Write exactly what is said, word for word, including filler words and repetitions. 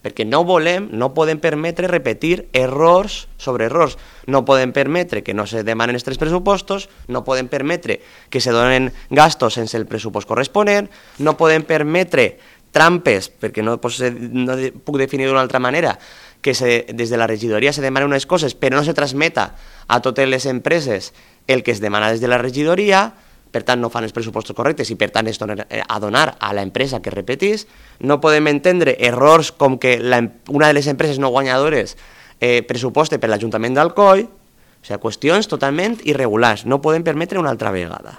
perquè no volem, no podem permetre repetir errors sobre errors. No podem permetre que no se demanen els tres pressupostos, no podem permetre que se donen gastos sense el pressupost corresponent, no podem permetre trampes, perquè no, pues, no puc definir d'una altra manera, que se, des de la regidoria se demanen unes coses però no se transmeta a totes les empreses el que es demana des de la regidoria, per tant no fan els pressupostos correctes i per tant es donen a donar a l'empresa que repetís. No podem entendre errors com que la, una de les empreses no guanyadores eh, pressuposte per l'Ajuntament d'Alcoi, o sigui, qüestions totalment irregulars, no podem permetre una altra vegada.